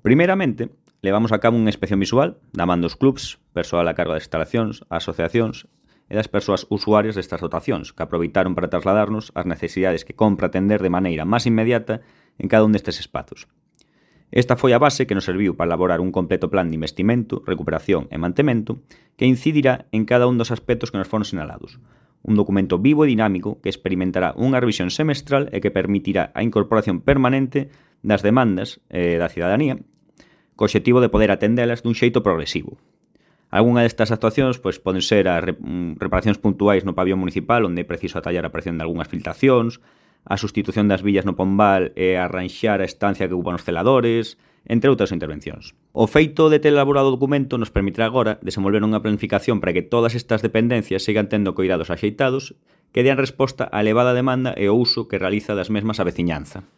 Primeiramente, levamos a cabo unha inspección visual da man dos clubs, persoal a cargo das instalacións, asociacións e das persoas usuarias destas dotacións, que aproveitaron para trasladarnos as necesidades que compra atender de maneira máis inmediata en cada un destes espazos. Esta foi a base que nos serviu para elaborar un completo plan de investimento, recuperación e mantemento que incidirá en cada un dos aspectos que nos foron sinalados. Un documento vivo e dinámico que experimentará unha revisión semestral e que permitirá a incorporación permanente das demandas da cidadanía co obxectivo de poder atendelas dun xeito progresivo. Algúna destas actuacións poden ser as reparacións puntuais no pabillón municipal onde é preciso atallar a presión de algunhas filtracións, a sustitución das villas no Pombal e arranxar a estancia que ocupan os celadores, entre outras intervencións. O feito de ter elaborado o documento nos permitirá agora desenvolver unha planificación para que todas estas dependencias sigan tendo coidados axeitados que dean resposta á elevada demanda e o uso que realiza das mesmas a veciñanza.